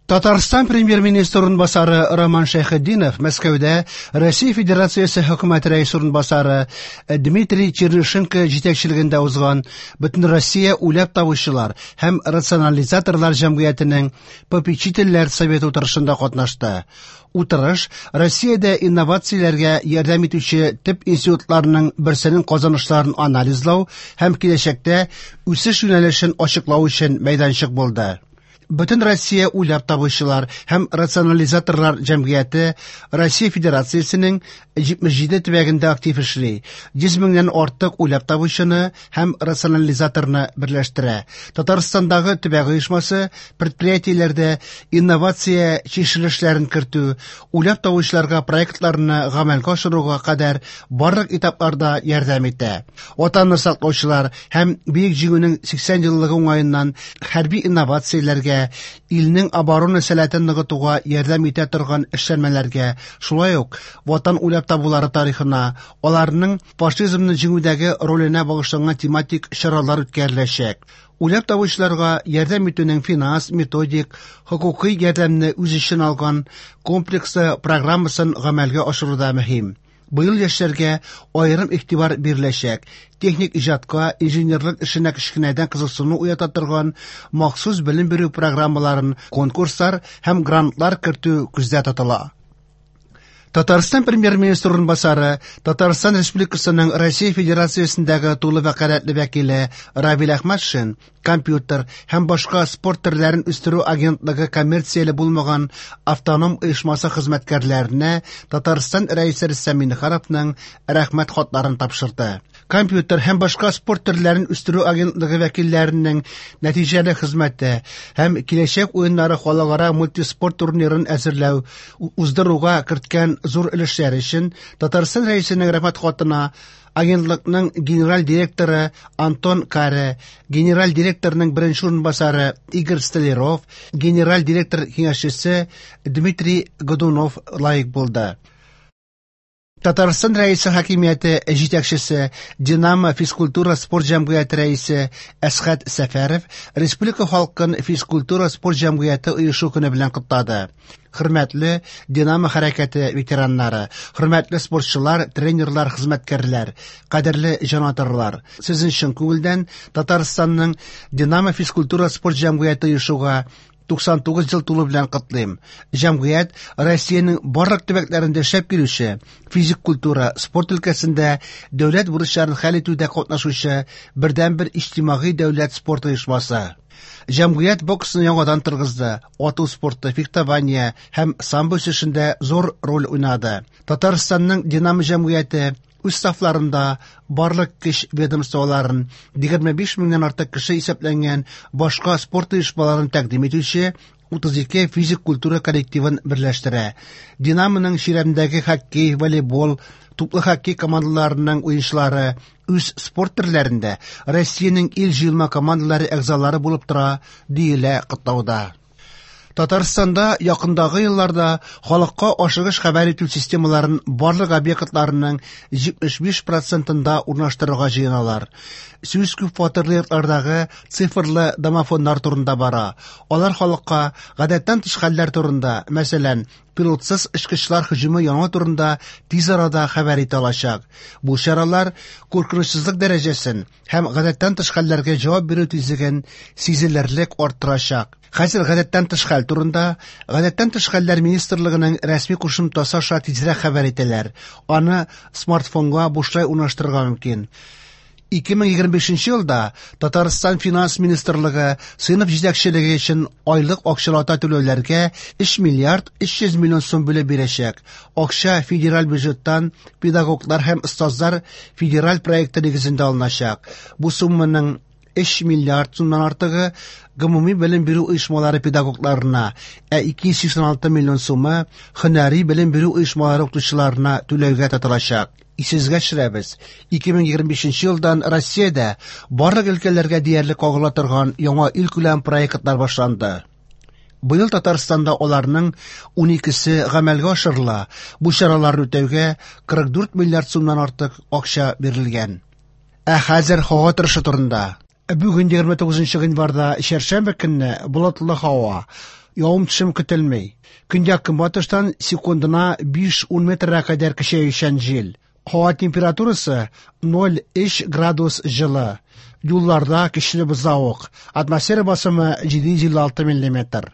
Татарстан Премьер-министры урынбасары Роман Шәйхетдинов Мәскәүдә Россия Федерациясе Хөкүмәте Рәисе урынбасары Дмитрий Чернышенко җитәкчелегендә узган Бөтенроссия уйлап табучылар һәм рационализаторлар җәмгыятенең попечительләр советы утырышында катнашты. Утырыш Россиядә инновацияләргә ярдәм итүче төп институтларның берсенең казанышларын анализлау һәм киләчәктә үсеш юнәлешен ачыклау өчен мәйданчык булды. Бөтенроссия уйлап табучылар һәм рационализаторлар җәмгыяте Россия Федерациясенең 77 төбәгендә актив эшли, 100 меңнән артык уйлап табучыны һәм рационализаторны берләштерә. Татарстандагы төбәк оешмасы предприятиеләрдә инновация чишелешләрен кертү, уйлап табучыларга проектларны гамәлгә ашыруга кадәр барлык этапларда ярдәм итә. Ватанны саклаучылар һәм Бөек Җиңүнең 80 еллыгы уңаеннан хәрби инновацияләргә, илнең оборона сәләтен ныгытуга ярдәм итә торган эшләнмәләргә, шулай ук Ватан уйлап табулары тарихына, аларның фашизмны җиңүдәге роленә багышланган тематик чаралар үткәреләчәк. Уйлап табучыларга ярдәм итүнең финанс, методик, хокукый ярдәмне үз эченә алган комплекслы программасын гамәлгә ашыру да мөһим. Быел яшьләргә аерым игътибар биреләчәк. Техник иҗатка, инженерлык эшенә кечкенәдән кызыксыну уята торган махсус белем бирү программаларын, конкурслар һәм грантлар кертү күздә тотыла. Татарстан Премьер-министры урынбасары, Татарстан Республикасының Россия Федерациясендәге тулы вәкаләтле вәкиле Равил Әхмәтшин компьютер һәм башка спорт төрләрен үстерү агентлыгы коммерцияле булмаган автоном оешмасы хезмәткәрләренә Татарстан Рәисе Рөстәм Миңнехановның рәхмәт хатларын тапшырды. Компьютер һәм башка спорт төрләрен үстерү агентлыгы вәкилләренең нәтиҗәле хезмәте һәм Киләчәк уеннары халыкара мультиспорт турнирын әзерләү, уздыруга керткән зур өлешләре өчен Татарстан Рәисенең рәхмәт хатына Агентлыкның генераль директоры Антон Каре, генераль директорның беренче урынбасары Игорь Столяров, генераль директор киңәшчесе Дмитрий Годунов лаек булды. Татарстан Рәисе хакимияте җитәкчесе, Динамо физкультура-спорт җәмгыяте рәисе Әсхәт Сәфәров республика халкын физкультура-спорт җәмгыяте оешу көне белән котлады. Хөрмәтле Динамо хәрәкәте ветераннары, хөрмәтле спортчылар, тренерлар, хезмәткәрләр, кадерле җанатарлар, сезне чын күңелдән Татарстанның Динамо физкультура-спорт җәмгыяте оешуга 99 ел тулу белән котлыйм. Җәмгыять Россиянең барлык төбәкләрендә эшләп килүче физик культура, спорт өлкәсендә дәүләт бурычларын хәл итүдә катнашучы бердәнбер иҗтимагый дәүләт спорт оешмасы. Җәмгыять боксны яңадан торгызды, ату спорты, фехтование һәм самбо үсешендә зур роль уйнады. Татарстанның Динамо җәмгыяте үз сафларында барлык көч ведомстволарын, 25 меңнән артык кеше исәпләнгән башка спорт оешмаларын тәкъдим итүче 32 физик культура коллективын берләштерә. Динамоның чирәмдәге хоккей, волейбол, туплы хоккей командаларының уенчылары үз спорт төрләрендә Россиянең ил җыелма командалары әгъзалары булып тора, диелә котлауда. Татарстанда якындагы елларда халыкка ашыгыч хәбәр итү системаларын барлык объектларының 75 процентында урнаштырырга җыеналар. Сүз күп фатирлы йортлардагы цифрлы домофоннар турында бара. Алар халыкка гадәттән тыш хәлләр турында, мәсәлән, пилотсыз очкычлар һөҗүме янау турында тиз арада хәбәр итә алачак. Бу чаралар куркынычсызлык дәрәҗәсен һәм гадәттән тыш хәлләргә җавап бирү тизлеген сизелерлек арттырачак. Хәзер гадәттән тыш хәл турында Гадәттән тыш хәлләр министрлыгының рәсми кушымтасы аша тизрәк хәбәр итәләр. Аны смартфонга бушлай урнаштырырга мөмкин. 2025 елда Татарстан Финанс министрлыгы сыйныф җитәкчелеге өчен айлык акчалата түләүләргә 3 миллиард 300 миллион сум бүлеп бирәчәк. Акча федераль бюджеттан педагоглар һәм остазлар федераль проекты нигезендә алыначак. Бу сумманың 3 миллиард сумнан артыгы гомуми белем бирү оешмалары педагогларына, ә 286 миллион сумы һөнәри белем бирү оешмалары укытучыларына түләүгә тотылачак. Исегезгә төшерәбез, 2025 елдан Россиядә барлык өлкәләргә диярлек кагыла торган яңа илкүләм проектлар башланды. Быел Татарстанда аларның 12-се гамәлгә ашырыла. Бу чараларны үтәүгә 44 миллиард сумнан артык акча бирелгән. Ә хәзер һава торышы турында. Бүген 29 гыйнварда чәршәмбе көнне болытлы һава. Явым-төшем көтелми. Көньяк-көнбатыштан секундына 5-10 метрга кадәр көчәючән җил. Һава температурасы 0,3 градус җылы. Юлларда көчле бозлавык. Атмосфера басымы 756 миллиметр.